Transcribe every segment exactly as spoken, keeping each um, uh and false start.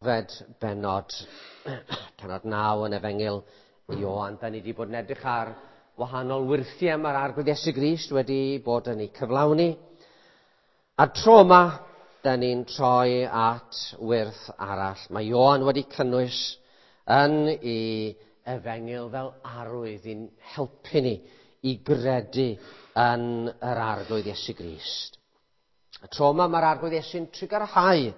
Fed bennod, pennod naw yn Efengyl Ioan. Da ni wedi bod yn edrych ar wahanol wyrthiau mae'r Arglwydd Iesu Grist wedi bod yn ei cyflawni. A'r tro yma, da ni'n troi at wyrth arall. Mae Ioan wedi cynnwys yn ei Efengyl fel arwydd i'n helpu ni i gredu yn yr Arglwydd Iesu Grist. Y tro yma mae'r Arglwydd Iesu'n trugarhau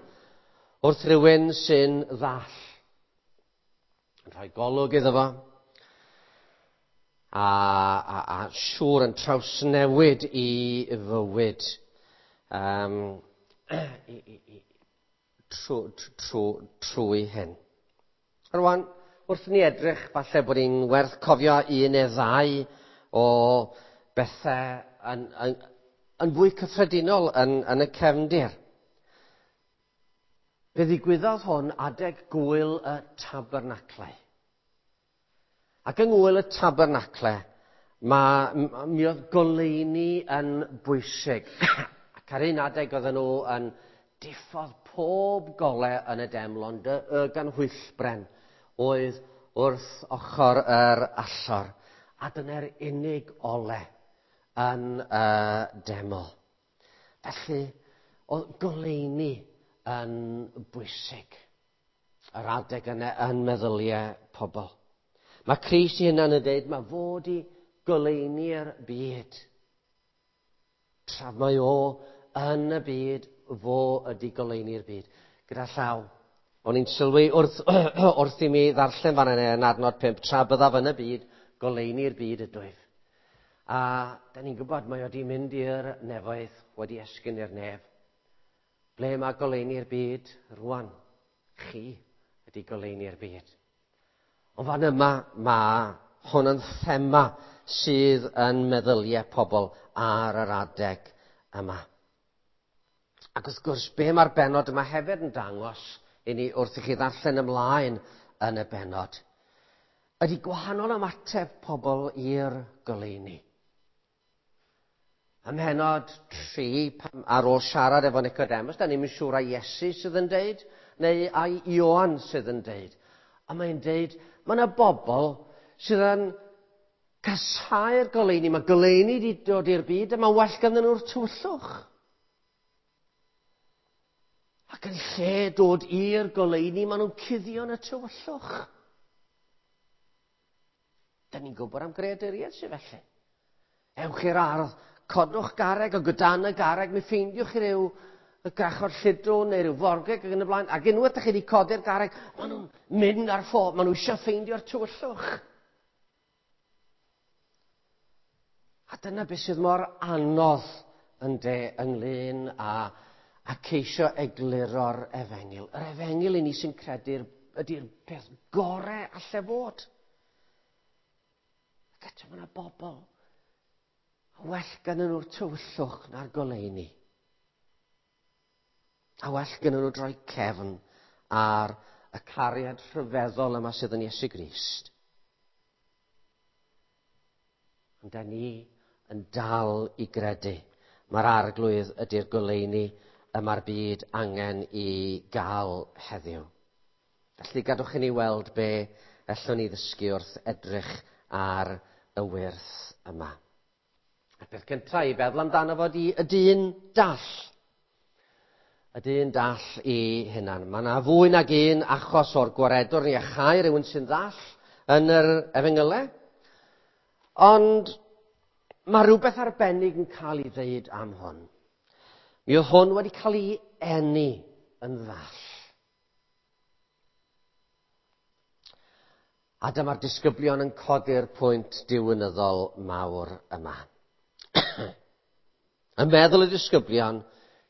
wrth rhywun sy'n ddall, yn rhoi golwg iddo fo, a, a, a siŵr yn trawsnewid i fywyd um, i, i, i, trw, trw, trwy hyn. Rwan, wrth ni edrych, falle bod hi'n werth cofio un neu ddau o bethau yn, yn, yn fwy cyffredinol yn, yn y cefndir. Fe ddigwyddodd hwn adeg gŵyl y Tabernaclau. Ac yng ngŵyl y Tabernaclau, mae, mi oedd goleuni yn bwysig. Ac ar un adeg oedden nhw yn diffodd pob gole yn y deml, ond y, y ganhwyllbren oedd wrth ochr yr allor. A dyna'r unig ole yn y deml. Felly, oedd goleuni yn bwysig yr adeg yna yn meddyliau pobl. Mae Crist ei hunan yn dweud, mae fod i goleuni'r byd. Tra mae o yn y byd, fo ydi goleuni'r byd. Gyda llaw, o'n i'n sylwi wrth, wrth i mi ddarllen fan yna yn adnod pump, tra byddaf yn y byd, goleuni'r byd ydwyf. A da ni'n gwybod mae o wedi mynd i'r nefoedd, wedi esgyn i'r nef. Ble mae goleuni'r byd rwan? Chi ydy goleuni'r byd. Ond fan yma mae hwn yn thema sydd yn meddyliau pobl ar yr adeg yma. Ac wrth gwrs, be mae'r bennod yma hefyd yn dangos i ni wrth i chi ddarllen ymlaen yn y bennod, ydy gwahanol ymateb pobl i'r goleuni. Ym mhennod tri, ar ôl siarad efo Nicodemus, da ni'm yn siŵr ai Iesu sydd yn deud, neu ai Ioan sydd yn deud. A mae'n deud, mae yna bobl sydd yn casáu'r goleuni. Mae goleuni wedi dod i'r byd, a mae'n well ganddyn nhw'r tywyllwch. Ac yn lle dod i'r goleuni, maen nhw'n cuddio yn y tywyllwch. Da ni'n gwybod am greaduriaid sydd felly. Ewch i'r ardd, codwch garreg, o gydan y garreg, mi ffeindiwch chi ryw y grachod lludw neu ryw forgeg ac yn y blaen. Ac unwaith ydych chi wedi codi'r garreg, maen nhw'n mynd ar ffo, maen nhw eisiau ffeindio'r tywyllwch. A dyna beth sydd mor anodd yn de ynglyn â, a ceisio egluro'r efengyl. Yr efengyl i ni sy'n credu'r ydy'r peth gorau alle fod. Ac eto mae yna bobl well ganddyn nhw'r tywyllwch na'r goleuni. A well ganddyn nhw droi cefn ar y cariad rhyfeddol yma sydd yn Iesu Grist. Ond da ni yn dal i gredu. Mae'r Arglwydd ydy'r goleuni y mae'r byd angen i gael heddiw. Felly gadwch i ni weld be allwn ni ddysgu wrth edrych ar y wyrth yma. Y peth cyntaf i feddwl amdano fo ydi y dyn dall. Y dyn dall i hunan. Mae yna fwy nag un achos o'r gwaredwr ni a chau rhywun sy'n ddall yn yr efengylau. Ond mae rhywbeth arbennig yn cael ei ddeud am hwn. Mi oedd hwn wedi cael ei eni yn ddall. A dyma'r disgyblion yn codi'r pwynt diwinyddol mawr yma. Yn meddwl y disgyblion,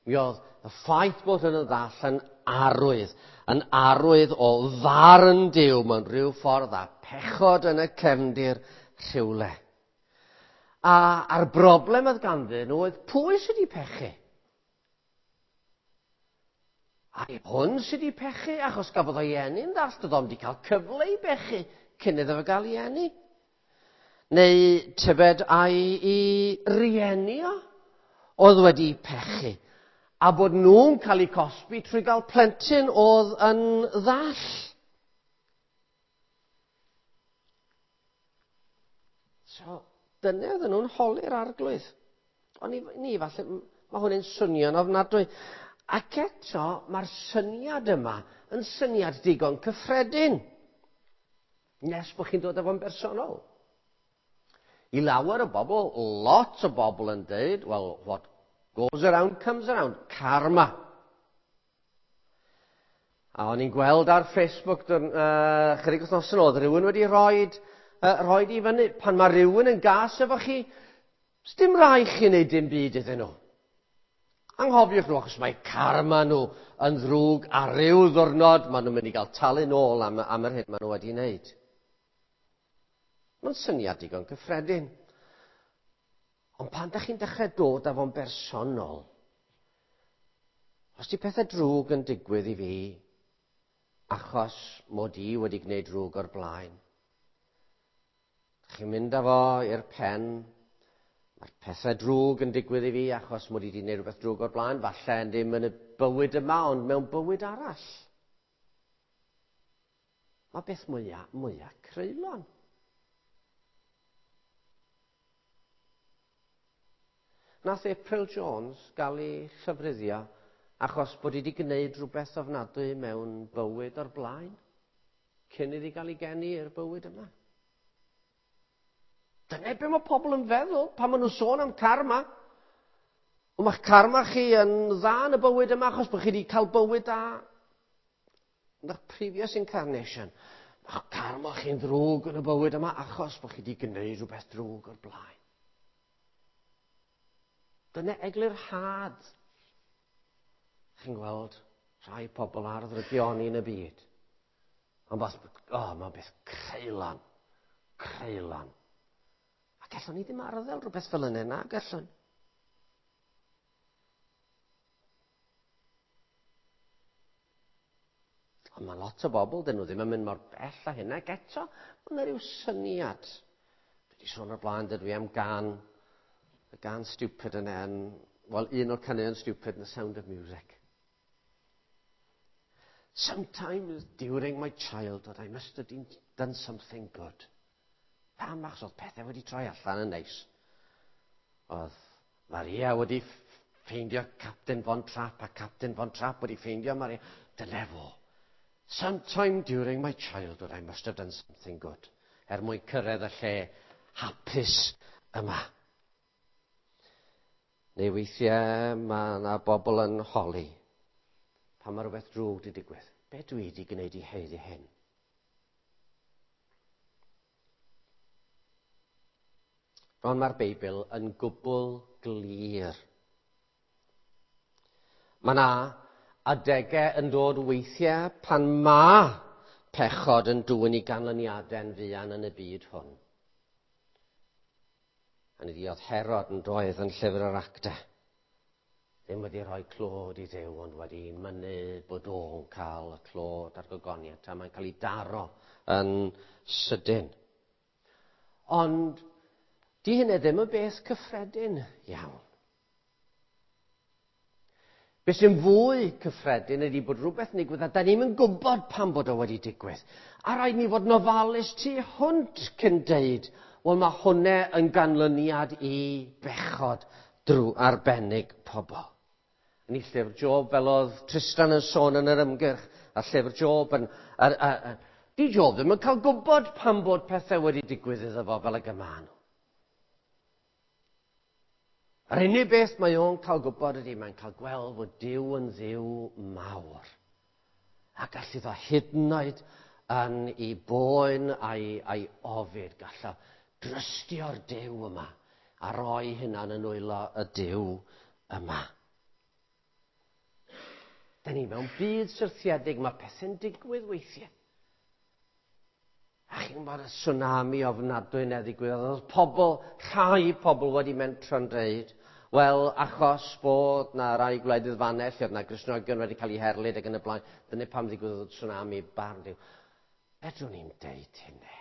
mi oedd y ffaith bod hwn yn ddall yn arwydd, yn arwydd o farn Duw mewn rhyw ffordd a pechod yn y cefndir rhywle. A, a'r broblem oedd ganddyn nhw oedd pwy sydd wedi pechu? A hwn sydd wedi pechu, achos gafodd o'i eni'n ddall, doedd o'm wedi cael cyfle i bechu cyn iddo fo gael ei eni. Neu tybed ai i rieni o oedd wedi pechu. A bod nhw'n cael eu cosbi trwy gael plentyn oedd yn ddall. So, dyna oedden nhw'n holi'r Arglwydd. Ond ni, ni falle, mae hwn yn swnio'n ofnadwy. Ac eto, mae'r syniad yma yn syniad digon cyffredin. Nes bod chi'n dod efo'n bersonol. I lawer o bobl, lot o bobl yn dweud, well, what goes around comes around, karma. A o'n i'n gweld ar Facebook uh, chydig wythnos yn ôl, rhywun wedi rhoid, uh, rhoid i fyny, pan mae rhywun yn gas efo chi, dim rhaid chi wneud dim byd iddyn nhw. Anghofiwch nhw, achos mae karma nhw yn ddrwg ar ryw ddwrnod, maen nhw'n mynd i gael talu nôl am, am yr hyn maen nhw wedi wneud. Mae'n syniad digon cyffredin. Ond pan da chi'n dechrau dod â fo'n bersonol, os di pethau drwg yn digwydd i fi, achos mod i wedi gwneud drwg o'r blaen, chi'n mynd â fo i'r pen, mae'r pethau drwg yn digwydd i fi achos mod i wedi gwneud rhywbeth drwg o'r blaen, falle ddim yn y bywyd yma, ond mewn bywyd arall. Mae beth mwyaf, mwyaf creulon. Nath April Jones gael ei llofruddio achos bod hi wedi gwneud rhywbeth ofnadwy mewn bywyd o'r blaen, cyn iddi gael ei geni i'r bywyd yma. Dyna be mae pobl yn feddwl pan maen nhw'n sôn am karma. Ond mae'ch karma chi yn dda yn y bywyd yma achos bod chi wedi cael bywyd da yn eich previous incarnation. Mae'ch karma chi'n ddrwg yn y bywyd yma achos bod chi wedi gwneud rhywbeth drwg o'r blaen. Dyna eglurhad. Chi'n gweld rhai pobl ar ddrygioni yn y byd. Ond beth, oh, mae'n beth creulon. Creulon. A gallwn ni ddim arddel rhywbeth fel yna, na gallwn. Ond mae lot o bobl, dyn nhw ddim yn mynd mor bell â hynna, ac eto, mae yna rhyw syniad. Dwi wedi sôn o'r blaen, dydw i am gan, y gan stupid yna, yn, wel, un o'r caneuon stupid yn The Sound of Music. Sometimes during my childhood, I must have done something good. Pam, achos oedd pethau wedi troi allan yn neis. Oedd Maria wedi ffeindio Captain Von Trapp, a Captain Von Trapp wedi ffeindio Maria. Dyna fo. Sometime during my childhood, I must have done something good. Er mwyn cyrraedd y lle hapus yma. Neu weithiau mae yna bobl yn holi. Pan mae rhywbeth drwg wedi digwydd. Be dwi wedi gwneud i haeddu hyn? Ond mae'r Beibl yn gwbl glir. Mae yna adegau yn dod weithiau pan mae pechod yn dwyn i ganlyniadau'n fuan yn y byd hwn. A ni oedd Herod yn doedd yn llyfr yr Actau. Ddim wedi rhoi clod i Dduw, ond wedi mynnu bod o'n cael y clod a'r gogoniant, a mae'n cael ei daro yn sydyn. Ond di hynny ddim yn beth cyffredin iawn. Beth sy'n fwy cyffredin ydy bod rhywbeth yn digwydd a da ni'm yn gwybod pam bod o wedi digwydd. A rhaid ni fod yn ofalus tu hwnt cyn deud, wel mae hwnna yn ganlyniad i bechod drwy arbennig pobl. Yn ei llyfr Job, fel oedd Tristan yn sôn yn yr ymgyrch, a llyfr Job yn... A, a, a, di Job ddim yn cael gwybod pam bod pethau wedi digwydd iddo fo fel y gyma nhw. Yr unig beth mae o'n cael gwybod ydy mae'n cael gweld fod Duw yn Dduw mawr. A gall iddo hyd yn oed yn ei boen a'i, a'i ofid, gall o drystio'r Duw yma a roi hynna'n yn nwylo y Duw yma. Da ni mewn byd syrthiedig, mae pethau'n digwydd weithiau. A chi'n gwybod y tsunami ofnadwy na ddigwyddodd. Oedd pobl, rhai pobl wedi mentro'n dweud, wel, achos bod na rai gwledydd fanna, lle oedd na Gristnogion wedi cael eu herlid ac yn y blaen, dyna pam ddigwyddodd y tsunami barn Duw. Fedrwn ni'n deud hynny.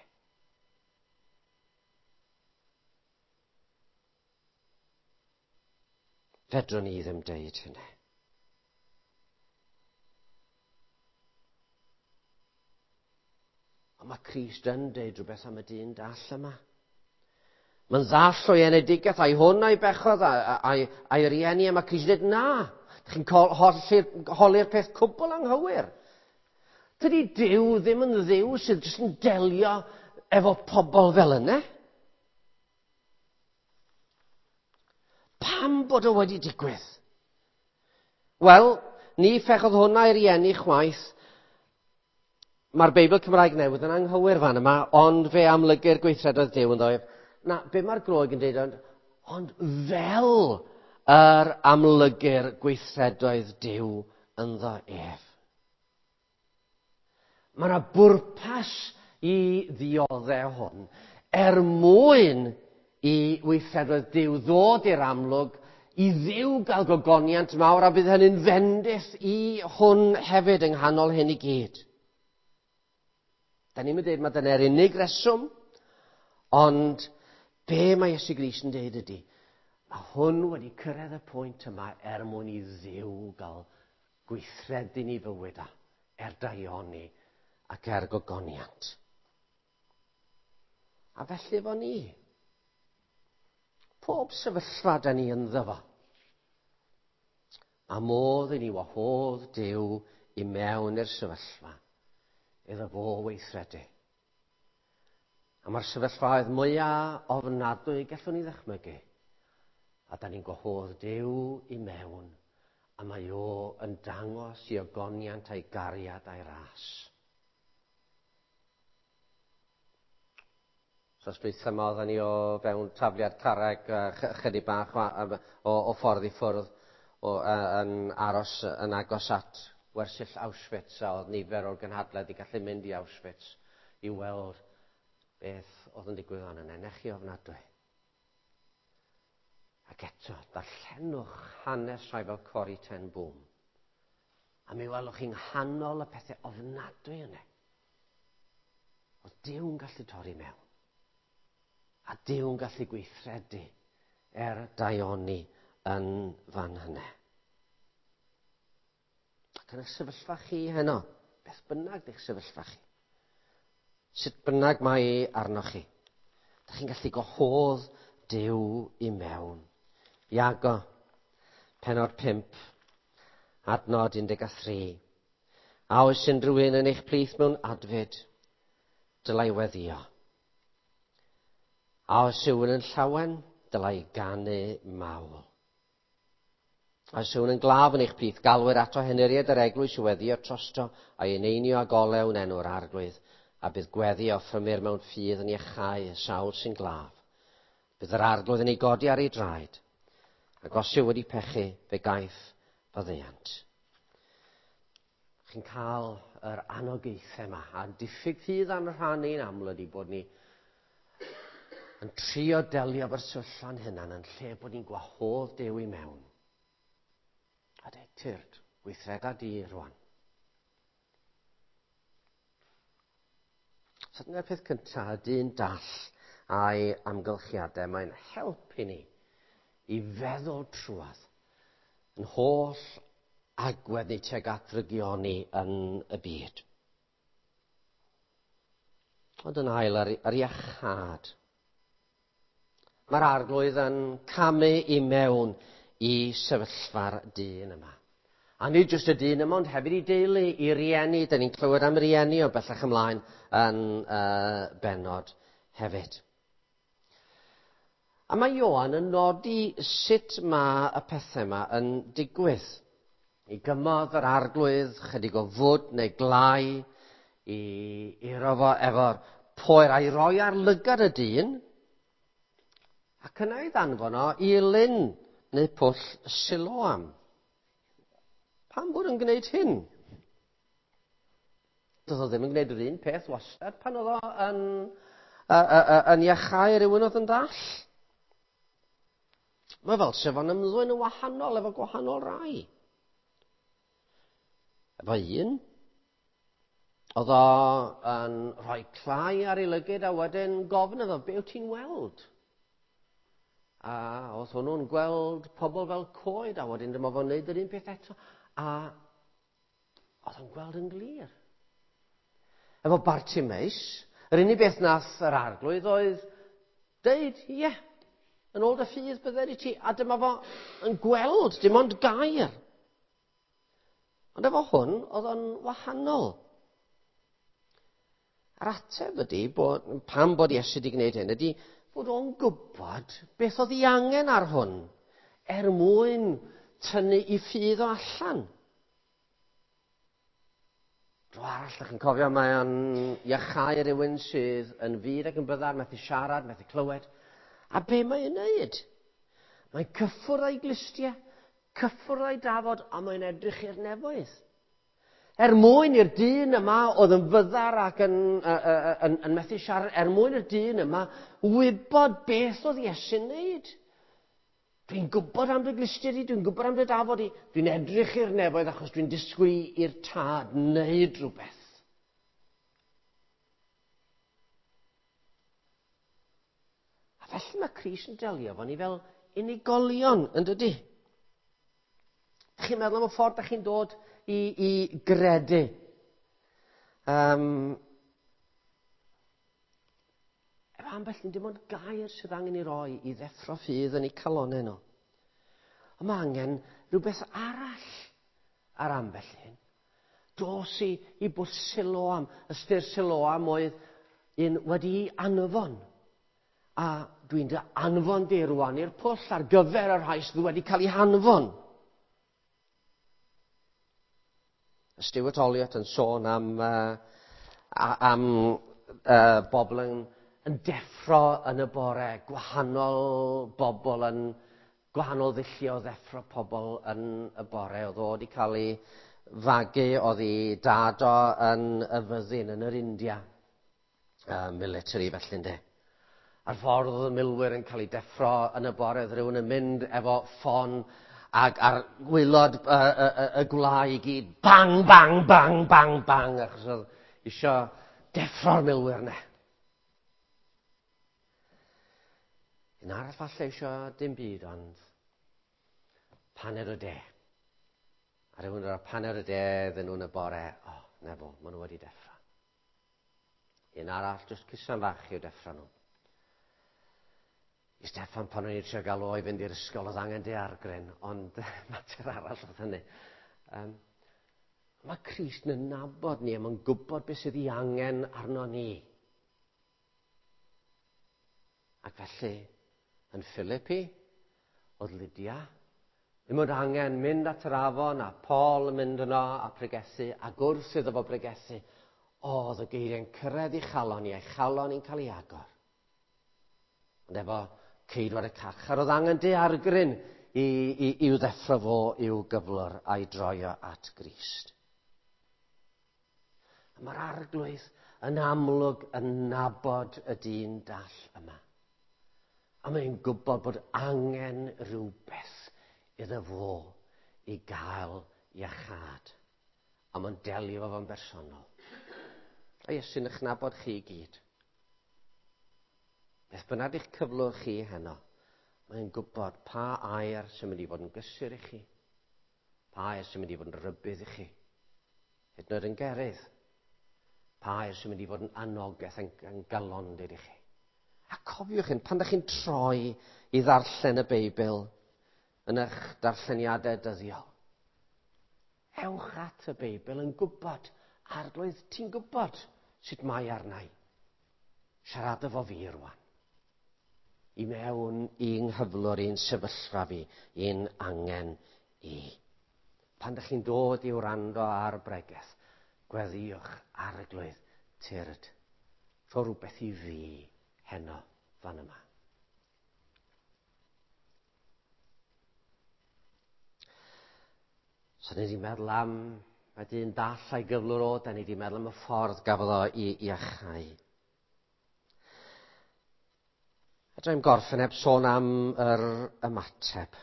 Fedrwn ni ddim deud hynny. Ond mae Crist yn deud rhywbeth am y dyn dall yma. Mae'n ddall o'i enedigaeth, a'i hwn a'i bechodd, a'i, a'i rieni, a mae Crist yn dweud, na, chi'n holi'r peth cwbl anghywir. Tydi Duw ddim yn Dduw sydd jyst yn delio efo pobl fel yna. Pam bod o wedi digwydd? Wel, ni phechodd hwnna i rieni chwaith. Mae'r Beibl Cymraeg Newydd yn anghywir fan yma, ond fe amlygir gweithredoedd Duw ynddo ef. Na, be mae'r Groeg yn dweud, ond, ond fel yr amlygir gweithredoedd Duw ynddo ef. Mae yna bwrpas i ddioddef hwn er mwyn i weithredoedd Duw ddod i'r amlwg, i Dduw gael gogoniant mawr, a bydd hynny'n fendith i hwn hefyd yng nghanol hyn i gyd. Da ni'n dweud mae dyna'r unig reswm, ond be mae Iesu Grist yn dweud ydy, mae hwn wedi cyrraedd y pwynt yma er mwyn i Dduw gael gweithredu ni fywyd a, er daioni ac er gogoniant. A felly efo ni, pob sefyllfa da ni ynddo fo, a modd i ni wahodd Duw i mewn i'r sefyllfa, iddo fo weithredu. A mae'r sefyllfaoedd mwyaf ofnadwy gallwn ni ddychmygu. A da ni'n gwahodd Duw i mewn, a mae o yn dangos i ogoniant a'i gariad a'i ras. So dwytha yma oedden ni o fewn tafliad carreg chydig bach o, o, o ffordd i ffwrdd o, yn aros yn agos at wersyll Auschwitz, a oedd nifer o'r gynhadledd i gallu mynd i Auschwitz i weld beth oedd yn digwydd fan yna. Nech chi ofnadwy. Ac eto, darllenwch hanes rhai fel Corrie ten Boom. A mi welwch chi'n nghanol y pethau ofnadwy yna. Oedd Duw'n gallu torri mewn. A Duw'n gallu gweithredu er daioni yn fan hynny. Ac yn y sefyllfa chi heno, beth bynnag di'ch sefyllfa chi, sut bynnag mae arnoch chi, da chi'n gallu gwahodd Duw i mewn. Iago, pennod pump, adnod un deg tri. A oes unrhyw un yn eich plith mewn adfyd, dylai weddio. A oes yw'n yn llawen, dylai ganu mawl. A oes yw'n yn glaf yn eich plith, galwyr ato henuriad yr eglwys i weddio trosto, a'i eneinio ag olew yn enw'r Arglwydd, a bydd gweddi offrymir mewn ffydd yn iachau y sawl sy'n glaf. Bydd yr Arglwydd yn ei godi ar ei draed, ac os yw wedi pechu, fe gaiff faddeuant. Chi'n cael yr anogaethau yma, a diffyg ffydd a'n rhan ni'n aml ydy bod ni yn trio delio efo'r sefyllfa'n hunan yn lle bod ni'n gwahodd Duw i mewn. A dweud, tyrd, gweithreda di rwan. So dyna'r peth cyntaf, y dyn dall a'i amgylchiadau. Mae'n helpu ni i feddwl trwadd yn holl agwedd ni tuag at ddrygioni yn y byd. Ond yn ail, ar, ar iachâd. Mae'r Arglwydd yn camu i mewn i sefyllfa'r dyn yma. A nid jyst y dyn yma, ond hefyd i deulu, i rieni. Da ni'n clywed am rieni o bellach ymlaen yn uh, bennod hefyd. A mae Ioan yn nodi sut mae y pethau yma yn digwydd. I gymodd yr Arglwydd chydig o fwd neu glai, i iro fo efo'r poer a'i roi ar lygad y dyn, ac yna ei ddanfon o i lyn neu pwll Siloam. Pam bod yn gwneud hyn? Doedd o ddim yn gwneud yr un peth wastad pan oedd o yn, uh, uh, uh, yn iachau rhywun oedd yn ddall. Mae fel sef o'n ymddwyn yn wahanol efo gwahanol rai. Efo un, oedd o yn rhoi clai ar ei lygyd a wedyn gofyn iddo, be wyt ti'n weld? A oedd hwnnw'n gweld pobl fel coed a wedyn dyma fo'n neud yr un peth eto. A oedd o'n gweld yn glir. Efo Bartimeus, yr unig beth nath yr arglwydd oedd deud, ie, yeah, yn ôl dy ffydd bydded i ti, a dyma fo yn gweld, dim ond gair. Ond efo hwn, oedd o'n wahanol. A'r ateb ydy, bod, pam bod Iesu wedi gwneud hyn, ydy bod o'n gwybod beth oedd ei angen ar hwn, er mwyn tynnu i ffydd o allan. Dro arall, ydych chi'n cofio, mae o'n iachau rhywun sydd yn fud ac yn byddar, methu siarad, methu clywed. A be mae'n neud? Mae'n cyffwrdd â'i glustiau, cyffwrdd â'i dafod, a mae'n edrych i'r nefoedd. Er mwyn i'r dyn yma oedd yn fyddar ac yn, uh, uh, yn, yn methu siarad, er mwyn i'r dyn yma wybod beth oedd Iesu'n neud. Dwi'n gwybod am dy glustiau di, dwi'n gwybod am dy dafod di, dwi'n edrych i'r nefoedd achos dwi'n disgwyl i'r tad wneud rhywbeth. A felly mae Crist yn delio efo ni fel unigolion, yn dydy? Chi'n meddwl am y ffordd da chi'n dod i, i gredu. Um, efo ambell un dim ond gair sydd angen i roi i ddeffro ffydd yn eu calonnau nhw. Ond mae angen rhywbeth arall ar ambell un. Dos i, i bwll Siloam. Ystyr Siloam oedd un wedi'i anfon. A dwi'n dy anfon di rwan i'r pwll ar gyfer y rhai sydd wedi cael eu hanfon. Stuart Olliott yn sôn am, uh, am uh, bobl yn, yn deffro yn y bore, gwahanol bobl yn, gwahanol ddulliau o ddeffro pobl yn y bore. Oedd o wedi cael ei fagu, oedd ei dad o yn y fyddin yn yr India, uh, military felly ynde. A'r ffordd oedd y milwyr yn cael ei deffro yn y bore, oedd rhywun yn mynd efo ffon ac ar gwaelod y, y, y, y gwlau i gyd, bang, bang, bang, bang, bang, achos oedd isio deffro'r milwyr ne. Un arall falle isio dim byd, ond paned o de. A rhywun ar paned o de iddyn nhw'n y bore, o, oh, na fo, maen nhw wedi deffro. Un arall, jyst cusan fach i'w deffro nhw. I Steffan pan o'n i'n trio gael o i fynd i'r ysgol oedd angen daeargryn, ond mater arall oedd hynny. Um, mae Crist yn nabod ni a mae'n gwybod beth sydd ei angen arno ni. Ac felly, yn Philippi, oedd Lydia, ddim oedd angen mynd at yr afon a Paul yn mynd yno a pregethu, ac wrth iddo fo pregethu, oedd y geiriau'n cyrraedd ei chalon i, a'i chalon i'n cael ei agor. Ond efo ceidwad y carchar, oedd angen daeargryn i, i, i'w ddeffro fo i'w gyflwr a'i droio at Grist. A mae'r arglwydd yn amlwg yn nabod y dyn dall yma. A mae'n gwybod bod angen rhywbeth iddo fo i gael iachâd. A mae'n delio fo'n bersonol. A Iesu'n eich nabod chi i gyd. Beth bynnag eich cyflwr chi heno, mae'n gwybod pa air sy'n mynd i fod yn gysur i chi, pa air sy'n mynd i fod yn rybudd i chi, hyd yn oed yn gerydd, pa air sy'n mynd i fod yn anogaeth yn, yn galondid i chi. A cofiwch hyn, pan ydych chi'n troi i ddarllen y Beibl yn eich darlleniadau dyddiol, ewch at y Beibl yn gwybod, Arglwydd, ti'n gwybod sut mae arna i. Siarad efo fi rwan. I mewn i'n nghyflwr, i'n sefyllfa fi, i'n angen i. Pan ydych chi'n dod i wrando ar bregeth, gweddïwch, Arglwydd, tyrd, rho rhywbeth i fi heno fan yma. So ni wedi meddwl am y dyn dall a'i gyflwr o, da ni wedi meddwl am y ffordd gafodd o i iachau. Fedra i'm gorffen heb sôn am yr ymateb.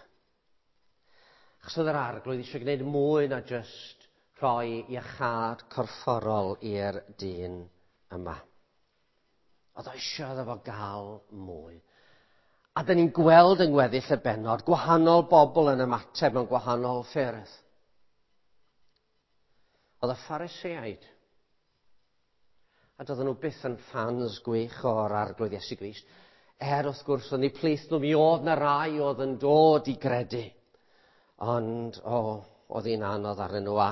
Achos oedd yr arglwydd eisiau gwneud mwy na jyst rhoi iachâd corfforol i'r dyn yma. Oedd o eisiau iddo fo gael mwy. A dyn ni'n gweld yng ngweddill y bennod gwahanol bobl yn ymateb mewn gwahanol ffyrdd. Oedd y Phariseaid A doedden nhw byth yn ffans gwych o'r Arglwydd Iesu Grist. Er wrth gwrs, yn eu plith nhw, mi oedd na rai oedd yn dod i gredu. Ond, o, oh, oedd hi'n anodd arnyn nhw. A,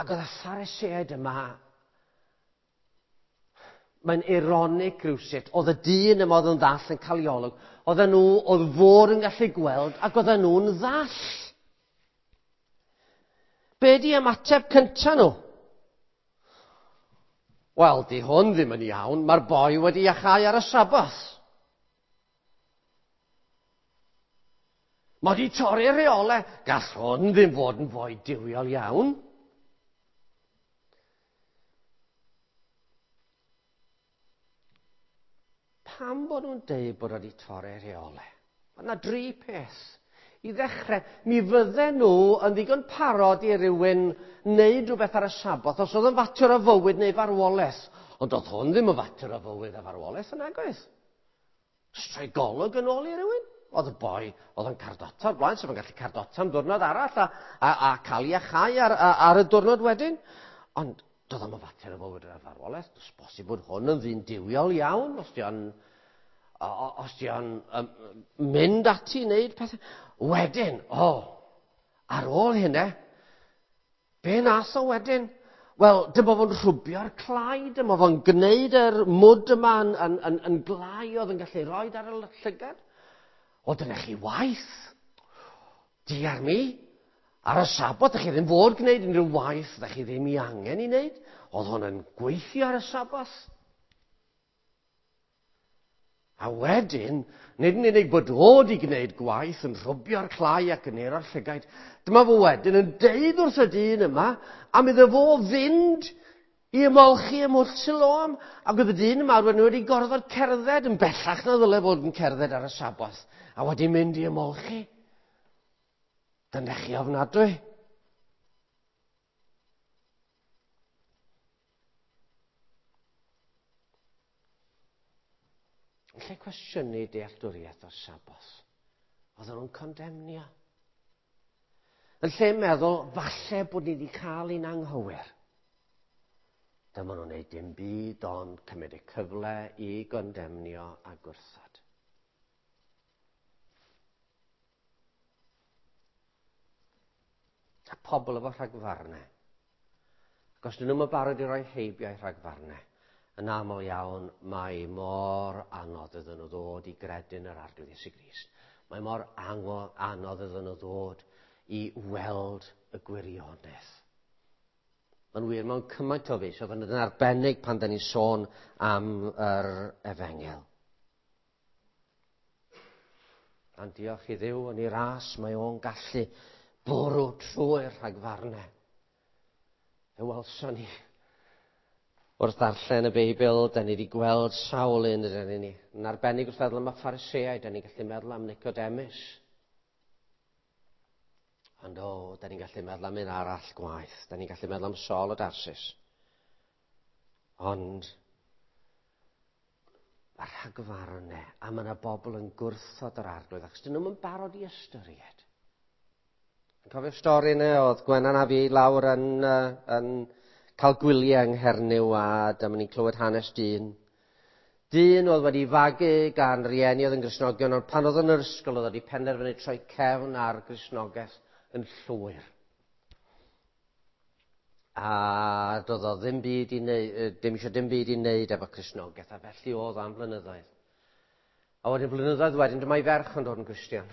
ac oedd y Phariseaid yma, mae'n ironic rhywsut, oedd y dyn yma oedd yn ddall yn cael ei olwg, oedden nhw, oedd fod yn gallu gweld, ac oedden nhw'n ddall. Be di ymateb cynta nhw? Wel, di hwn ddim yn iawn, mae'r boi wedi iachau ar y Saboth. Mae di torri'r rheolau, gall hwn ddim fod yn foi duwiol iawn. Pam bod nhw'n deud bod wedi torri'r rheolau? Mae yna dri peth. I ddechrau, mi fydden nhw yn ddigon parod i rywun wneud rhywbeth ar y Saboth os oedd yn fater o fywyd neu farwolaeth. Ond oedd hwn ddim yn fater o fywyd a farwolaeth yn nagoedd. Jyst rhoi golwg yn ôl i rywun. Oedd y boi, oedd yn cardota o'r blaen, sef yn gallu cardota am diwrnod arall a, a, a cael ei iachau ar, ar, ar y diwrnod wedyn. Ond doedd o'm yn fater o fywyd a farwolaeth. Does bosib bod hwn yn ddyn duwiol iawn, os di o'n os di o'n um, mynd ati i wneud pethau. Wedyn, o, oh, ar ôl hynny, be nath o wedyn? Wel, dyma fo'n rhwbio'r clai, dyma fo'n gwneud yr mwd yma yn, yn, yn, yn glai oedd yn gallu rhoi ar y llygad. O, dyna chi waith. Diar mi, ar y Saboth, ydych chi ddim fod gwneud unrhyw waith, ydych chi ddim i angen i wneud. Oedd hwn yn gweithio ar y Saboth. A wedyn, nid yn unig bod o wedi gwneud gwaith yn rhwbio'r clai ac yn ero'r llygaid, dyma fo wedyn yn deud wrth y dyn yma am iddo fo fynd i ymolchi ym Mwll Siloam. Ac oedd y dyn yma wedyn wedi gorfod cerdded yn bellach na ddyle fod yn cerdded ar y Saboth, a wedi mynd i ymolchi. Dyna chi ofnadwy. Yn lle cwestiynu dealltwriaeth o'r Saboth, oedden nhw'n condemnio. Yn lle meddwl, falle bod ni wedi cael ein anghywir. Dyma nhw'n gwneud dim byd ond cymryd y cyfle i gondemnio a gwrthod. A pobl efo rhagfarnau. Ac os dyn nhw'n barod i roi heibio rhagfarnau, yn aml iawn, mae mor anodd iddyn nhw ddod i gredu yn yr Arglwydd Iesu Grist. Mae mor anodd iddyn nhw ddod i weld y gwirionedd. Mae'n wir mewn cymaint o feysydd, ond yn arbennig pan da ni'n sôn am yr efengyl. Ond diolch i Dduw yn ei ras, mae o'n gallu bwrw trwy'r rhagfarnau. Fe welson ni wrth ddarllen y Beibl, da ni wedi gweld sawl un ydyn ni. Yn arbennig wrth feddwl am y Phariseaid, da ni'n gallu meddwl am Nicodemus. Ond o, da ni'n gallu meddwl am un arall gwaith. Da ni'n gallu meddwl am Saul o Darsus. Ond mae'r rhagfarnau, a mae yna bobl yn gwrthod yr Arglwydd, achos dyn nhw'm yn barod i ystyried. Yn cofio'r stori yna, oedd Gwenan a fi lawr yn, yn cael gwyliau yng Nghernyw, a dyma ni'n clywed hanes dyn. Dyn oedd wedi fagu gan rieni oedd yn Gristnogion, ond pan oedd yn yr ysgol oedd wedi penderfynu troi cefn ar Gristnogaeth yn llwyr. A doedd o ddim byd i wneud, dim eisiau dim byd i wneud efo Cristnogaeth, a felly oedd am flynyddoedd. A wedyn blynyddoedd wedyn, dyma'i ferch yn dod yn Gristion.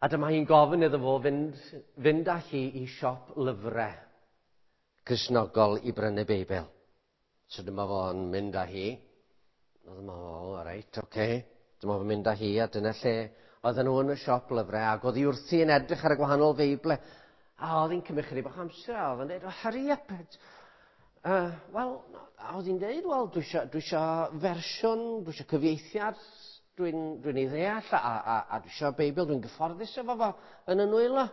A dyma hi'n gofyn iddo fo fynd, fynd â hi i siop lyfrau Cristnogol i brynu Beibl. So dyma fo'n mynd â hi. Dyma fo, reit, oce. Okay. Dyma fo'n mynd â hi, a dyna lle oedden nhw yn y siop lyfrau, ac oedd hi wrthi yn edrych ar y gwahanol Feible. A oedd hi'n cymryd chydig bach amser, a oedd hi'n dweud, oh, hurry up. Uh, Wel, a oedd hi'n dweud, wel, dwi eisiau, dwi eisiau fersiwn, dwi eisiau cyfieithiad, dwi'n dwi ei ddeall, a, a, a dwi eisiau Beibl, dwi'n gyfforddus efo fo yn y nwylo.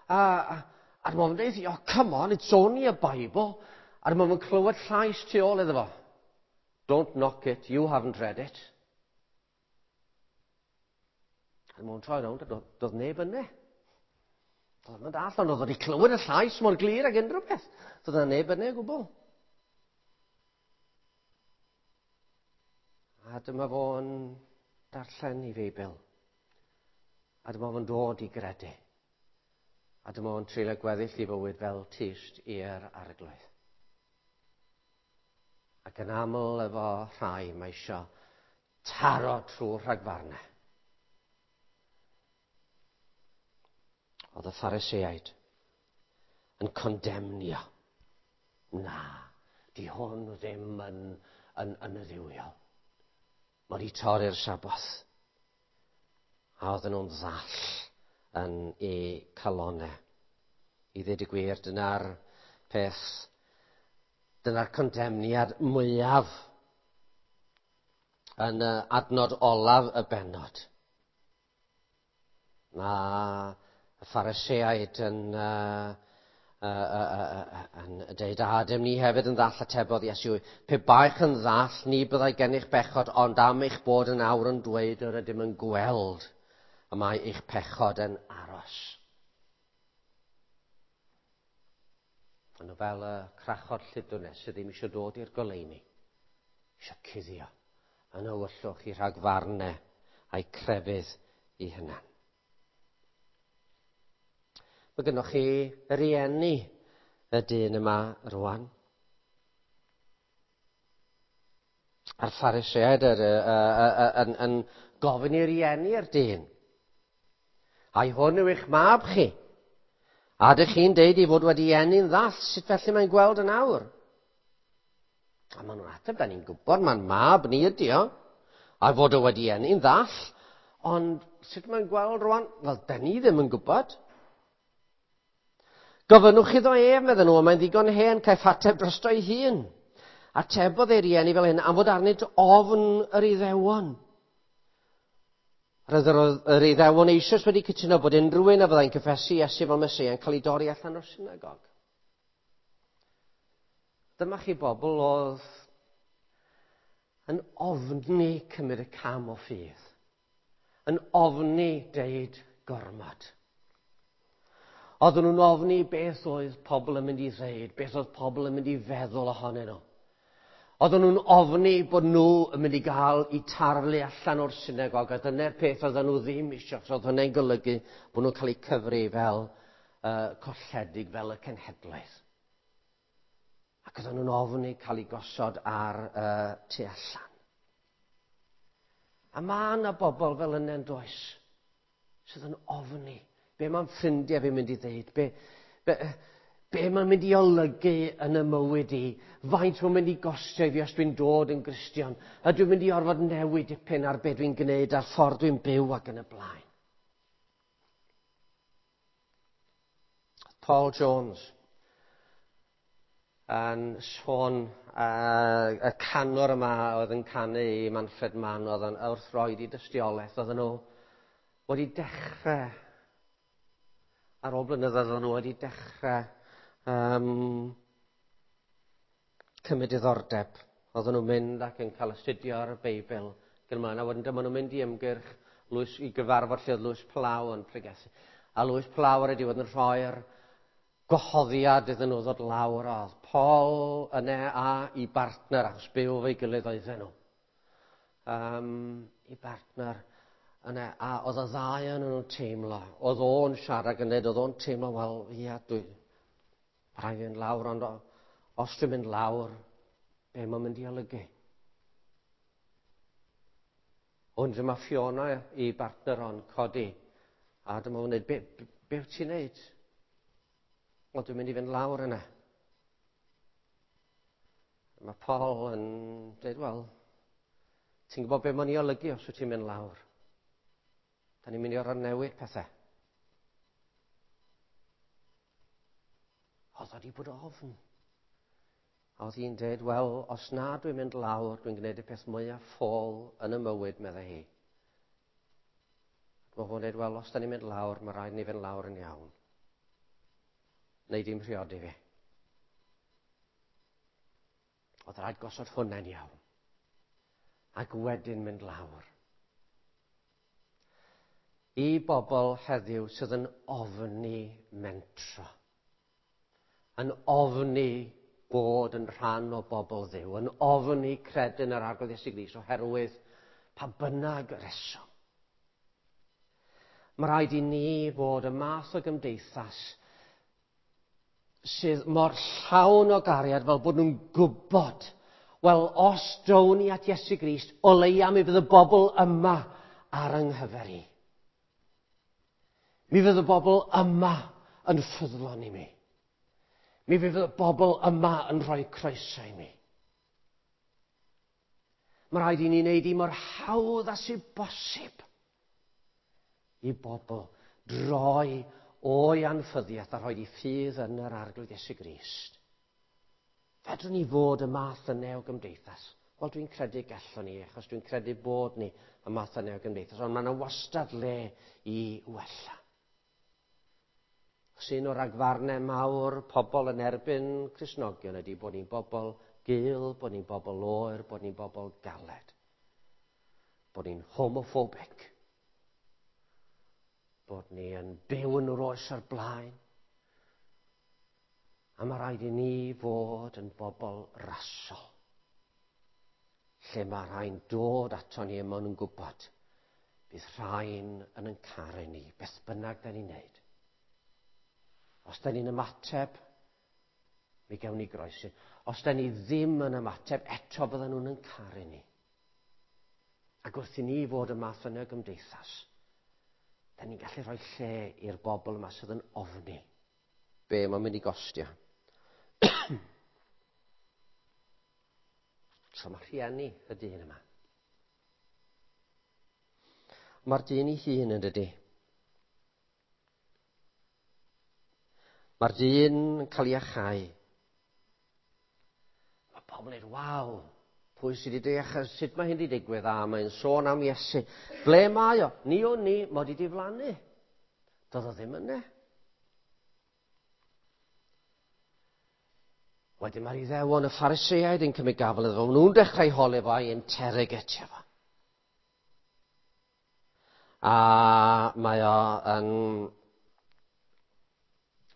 A, a, a dyma fo'n dweud, oh, come on, it's only a Bible. A dyma fo'n clywed llais tu ôl iddo fo. Don't knock it, you haven't read it. A dyma fo'n troi rownd, a doedd neb yna. Doedd yn dall, ond oedd wedi clywed y llais mor glir ag unrhyw beth. Doedd yna neb yna o gwbl. A dyma fo'n darllen ei Feibl. A dyma fo'n dod i gredu. A dyma fo'n treulio gweddill ei fywyd fel tyst i'r Arglwydd. Ac yn aml efo rhai mae isio taro trwy rhagfarnau. Oedd y Phariseaid yn condemnio. Na, di hwn ddim yn, yn, yn y dduwiol. Mae wedi torri'r Saboth. A oedden nhw'n ddall yn eu calonau. I ddweud y gwir, dyna'r peth, dyna'r condemniad mwyaf yn y adnod olaf y bennod. Mae y Phariseaid yn, uh, uh, uh, uh, yn dweud, a ydym ni hefyd yn ddall, atebodd Iesu, pe baech yn ddall, ni byddai gennych bechod, ond am eich bod yn awr yn dweud yr ydym yn gweld, y mae eich pechod yn aros. Ond fel y crachod lludwnes sydd ddim eisiau dod i'r goleuni, eisiau cuddio yn ywyllwch i rhagfarnau a'i crefydd i hunan. Mae gennych chi rieni y dyn yma rwan. A'r Phariseaid yr, yn, yn gofyn i rieni'r dyn. Ai hwn yw eich mab chi? A ydych chi'n deud ei fod wedi eni'n ddall, sut felly mae'n gweld yn awr? A maen nhw'n ateb, da ni'n gwybod, mae'n mab ni ydi o. A fod o wedi eni'n ddall, ond sut mae'n gweld rwan? Wel, da ni ddim yn gwybod. Gofynnwch iddo ef, medden nhw, mae'n ddigon hen, caiff ateb drosto ei hun. Atebodd ei rieni fel hyn, am fod arnynt ofn yr Iddewon. Roedd yr Iddewon eisoes wedi cytuno bod unrhyw un a fyddai'n cyffesu Iesu fel Meseia yn cael ei dorri allan o'r synagog. Dyma chi bobl oedd yn ofni cymryd y cam o ffydd, yn ofni deud gormod. Oedden nhw'n ofni beth oedd pobl yn mynd i ddeud, beth oedd pobl yn mynd i feddwl ohonyn nhw. Oedden nhw'n ofni bod nhw yn mynd i gael eu tarlu allan o'r synagog, a dyna'r peth oedden nhw ddim eisiau, achos oedd hynny'n golygu bod nhw'n cael eu cyfri fel uh, colledig, fel y cenhedlaeth. Ac oedden nhw'n ofni cael eu gosod ar uh, tu allan. A mae yna bobl fel yna yn does, sydd yn ofni. Be mae'n ffrindiau fi'n mynd i ddeud? Be, be, be mae'n mynd i olygu yn y mywyd i? Faint mae'n mynd i gostio i fi os dwi'n dod yn Gristion? A dwi'n mynd i orfod newid dipyn ar be dwi'n gwneud, a'r ffordd dwi'n byw ac yn y blaen. Paul Jones yn sôn, uh, y canwr yma oedd yn canu i Manfred Mann, oedd yn wrth roed i dystiolaeth, oedden nhw wedi dechrau, ar ôl blynyddoedd oedden nhw wedi dechrau um, cymryd diddordeb. Oedden nhw'n mynd ac yn cael astudio'r Beibl. Gyda a wedyn dyma nhw'n mynd i ymgyrch Lewis, i gyfarfod lle oedd Lewis Plough yn pregethu. A Lewis Plough ar y diwedd yn rhoi'r gwahoddiad iddyn nhw ddod lawr. Oedd Paul yna a i bartner, achos byw efo'i gilydd oedden nhw. Um, i bartner yna, a oedd y ddau yn nhw'n teimlo. Oedd o'n siarad yn dweud, oedd o'n teimlo, wel, ia, dwi, rhaid fi fynd lawr, ond os dwi'n mynd lawr, be mae'n mynd i olygu? Ond dyma Fiona i bartner o'n codi, a dyma fo'n dweud, be, be, be wyt ti'n neud? Wel, dwi'n mynd i fynd lawr yna. Mae Paul yn dweud, wel, ti'n gwybod be mae'n i olygu os wyt ti'n mynd lawr? Da ni'n mynd i orfod newid pethau. Oedd o wedi bod ofn. A oedd hi'n dweud, wel, os na dwi'n mynd lawr, dwi'n gwneud y peth mwyaf ffôl yn y mywyd, meddai hi. Mae fo'n dweud, wel, os da ni'n mynd lawr, mae rhaid ni fynd lawr yn iawn. Neu dim rhiodi fi. Oedd rhaid gosod hwnna'n iawn. Ac wedyn mynd lawr. I bobl heddiw sydd yn ofni mentro, yn ofni bod yn rhan o bobl Dduw, yn ofni credu yn yr Arglwydd Iesu Grist oherwydd pa bynnag reswm. Mae rhaid i ni fod y math o gymdeithas sydd mor llawn o gariad fel bod nhw'n gwybod, wel, os down ni at Iesu Grist, o leia mi fydd y bobl yma ar yng nghyfer i. Mi fydd y bobl yma yn ffyddlon i mi. Mi fydd y bobl yma yn rhoi croeso i mi. Mae rhaid i ni wneud i mor hawdd â sydd bosib i bobl droi o'i anffyddiaeth a rhoi i ffydd yn yr Arglwydd Iesu Grist. Fedrwn ni fod y math yna o gymdeithas? Wel, dwi'n credu gallwn ni, achos dwi'n credu bod ni y math yna o gymdeithas, ond mae yna wastad le i wella. Achos un o'r ragfarnau mawr pobl yn erbyn Cristnogion ydy bod ni'n bobl gul, bod ni'n bobl oer, bod ni'n bobl galed. Bod ni'n homophobic. Bod ni yn byw yn yr oes o'r blaen. A mae rhaid i ni fod yn bobl rasol. Lle mae rhai'n dod ato ni a maen nhw'n gwybod bydd rhain yn yn caru ni, beth bynnag da ni'n neud. Os da ni'n ymateb, mi gawn ni groeso. Os da ni ddim yn ymateb, eto bydden nhw'n yn caru ni. Ac wrth i ni fod y math yna o gymdeithas, da ni'n gallu rhoi lle i'r bobl yma sydd yn ofni be mae'n mynd i gostio. So mae rhieni y dyn yma. Mae'r dyn ei hun yn dydi. Mae'r dyn yn cael ei achau. Mae pobl yn dweud, waw, pwy sydd wedi deall sut mae hyn wedi digwydd? A mae'n sôn am Iesu. Ble mae o? Ni o'n ni, mod i diflannu. Doedd o ddim yna. Wedyn mae'r Iddewon, y Phariseaid yn cymryd gafel iddo fo. Maen nhw'n dechrau holi fo a'i interrogatio fo. A mae o yn...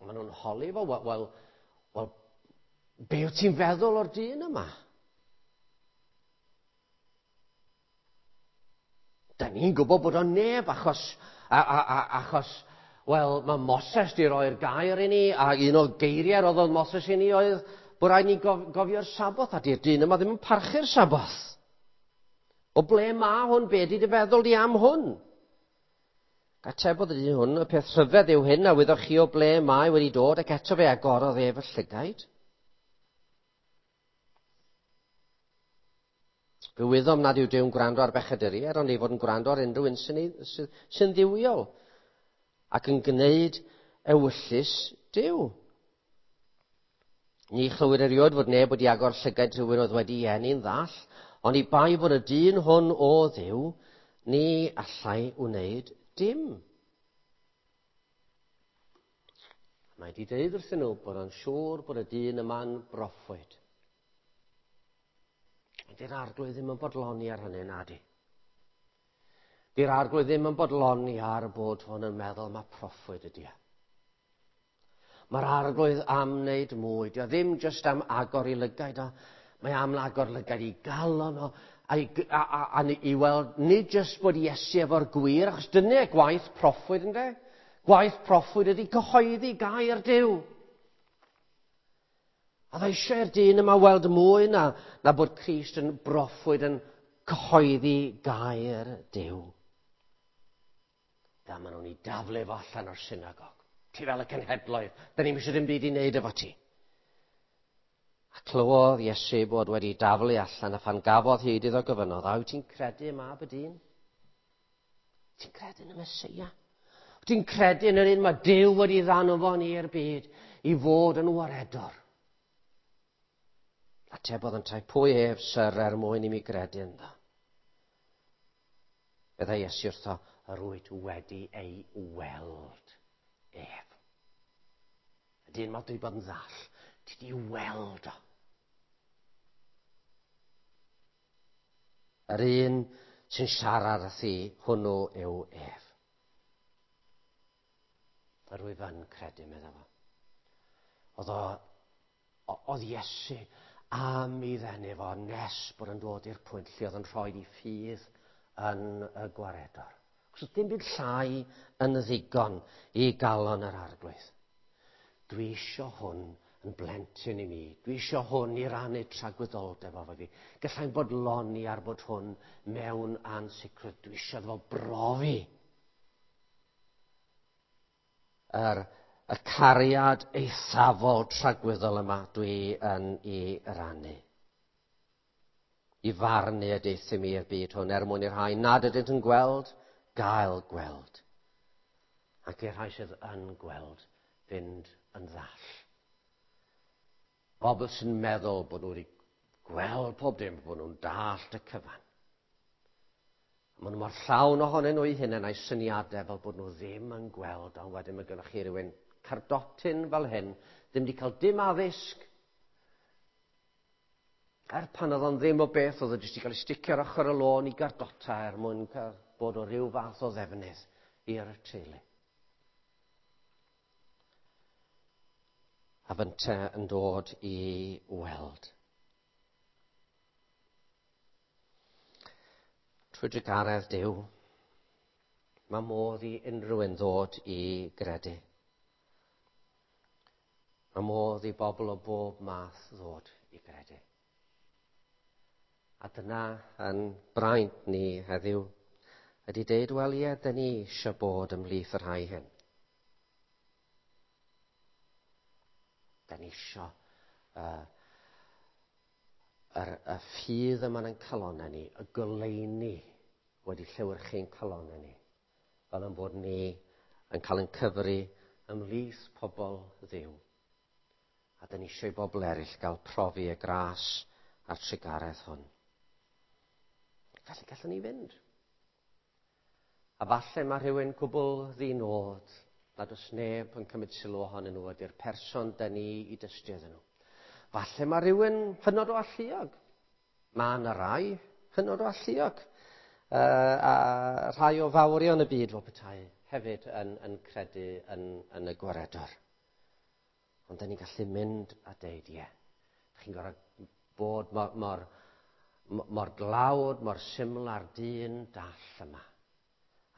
Maen nhw'n holi fo, wel, wel, wel, be wyt ti'n feddwl o'r dyn yma? Da ni'n gwybod bod o'n neb, achos, a, a, a, achos, wel, mae Moses di roi'r gair i ni, a un o'r geiriau roddodd Moses i ni oedd bod rhaid ni gof, gofio'r Saboth, a di'r dyn yma ddim yn parchu'r Saboth. O ble mae hwn? Be di dy feddwl di am hwn? Atebodd y dyn hwn, y peth rhyfedd yw hyn, a wyddoch chi o ble mae wedi dod, ac eto fe agorodd ef y llygaid. Fe wyddom nad yw Duw'n gwrando ar bechaduriaid, ond ei fod yn gwrando ar unrhyw un sy'n, sy'n, sy'n dduwiol, ac yn gwneud ewyllys Duw. Ni chlywyd erioed fod neb wedi agor llygaid rhywun oedd wedi eni'n ddall, ond i bai fod y dyn hwn o Dduw, ni allai wneud dim. Mae wedi dweud wrthyn nhw bod o'n siŵr bod y dyn yma'n broffwyd. Di'r Arglwydd ddim yn bodloni ar hynny, nadi. Di'r Arglwydd ddim yn bodloni ar bod hwn yn meddwl mae proffwyd ydi e. Mae'r Arglwydd am wneud mwy. Dio ddim jyst am agor i lygaid o. Mae am agor lygaid i galon o. A i, a, a, a, i weld nid jyst bod Iesu efo'r gwir, achos dyna gwaith proffwyd ynde. Gwaith proffwyd ydi cyhoeddi gair Duw. A dda eisiau i'r dyn yma weld mwy na, na bod Crist yn broffwyd yn cyhoeddi gair Duw. Da maen nhw'n ei daflu fo allan o'r synagog. Ti fel y cenhedloedd, da ni'm eisiau dim byd i wneud efo ti. A clywodd Iesu bod wedi daflu allan, a phan gafodd hyd iddo gofynnodd, a wyt ti'n credu y mab y dyn? Ti'n credu yn y Meseia? Wyt ti'n credu yn yr un mae Duw wedi ddanfon i'r byd i fod yn waredwr? Atebodd yntau, pwy ef, syr, er mwyn i mi gredu ynddo? Byddai Iesu wrtho, yr wyt wedi ei weld ef. Y dyn mae dwi bod yn ddall, ti di weld o. Yr un sy'n siarad â thi, hwnnw yw ef. Yr wyf yn credu, meddai fo. Oedd o Oedd Iesu am ei ddenu fo nes bod yn dod i'r pwynt lle oedd yn rhoi ei ffydd yn y gwaredwr. Cos oedd dim byd llai yn ddigon i galon yr Arglwydd. Dwi isio hwn yn blentyn i mi. Dwi isio hwn i rannu tragwyddoldeb efo fi. Gallai'n bodloni ar bod hwn mewn ansicrwydd. Dwi isio fo brofi yr, y cariad eithafol tragwyddol yma dwi yn ei rannu. I farnu y deuthum i'r byd hwn er mwyn i'r rhai nad ydynt yn gweld, gael gweld. Ac i'r rhai sydd yn gweld, fynd yn ddall. Bobl sy'n meddwl bod nhw wedi gweld pob dim, bod nhw'n dallt y cyfan. Maen nhw mor llawn ohonyn nhw eu hunain a'u syniadau fel bod nhw ddim yn gweld, ond wedyn mae gennych chi rhywun cardotyn fel hyn, ddim wedi cael dim addysg. Er pan oedd o'n ddim o beth, oedd o jyst wedi cael ei sticio ar ochr y lôn i gardota er mwyn cael bod o ryw fath o ddefnydd i'r teulu. A fynte yn dod i weld. Trwy drugaredd Duw, mae modd i unrhyw un ddod i gredu. Mae modd i bobl o bob math ddod i gredu. A dyna yn braint ni heddiw, ydy deud, wel ie, dyn ni eisiau bod ymhlith y rhai hyn. Dyn ni eisiau uh, yr, y ffydd yma yn calonnau ni, y goleuni wedi llewyrchu'n calonnau ni, fel yn bod ni yn cael ein cyfri ymhlith pobl Dduw. A dyn ni eisiau i bobl eraill gael profi y gras a'r trugaredd hwn. Felly gallwn ni fynd. A falle mae rhywun cwbl ddinod nad oes neb yn cymryd sylw ohonyn nhw ydy'r person dyn ni i dystio iddyn nhw. Falle mae rhywun hynod o alluog. Mae yna rai hynod o alluog. Uh, a rhai o fawrion y byd fel petai hefyd yn, yn credu yn, yn y gwaredwr. Ond dyn ni'n gallu mynd a deud, ie. Chi'n gorfod bod mor, mor, mor glawd, mor syml â'r dyn dall yma.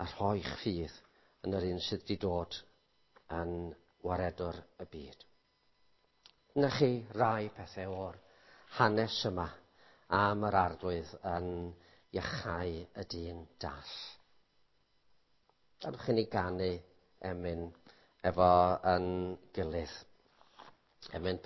A rhoi'ch ffydd yn yr un sydd wedi dod yn waredwr y byd. Dyna chi rai pethau o'r hanes yma am yr Arglwydd yn iachau y dyn dall. Gadwch i ni ganu emyn efo yn gilydd. Emyn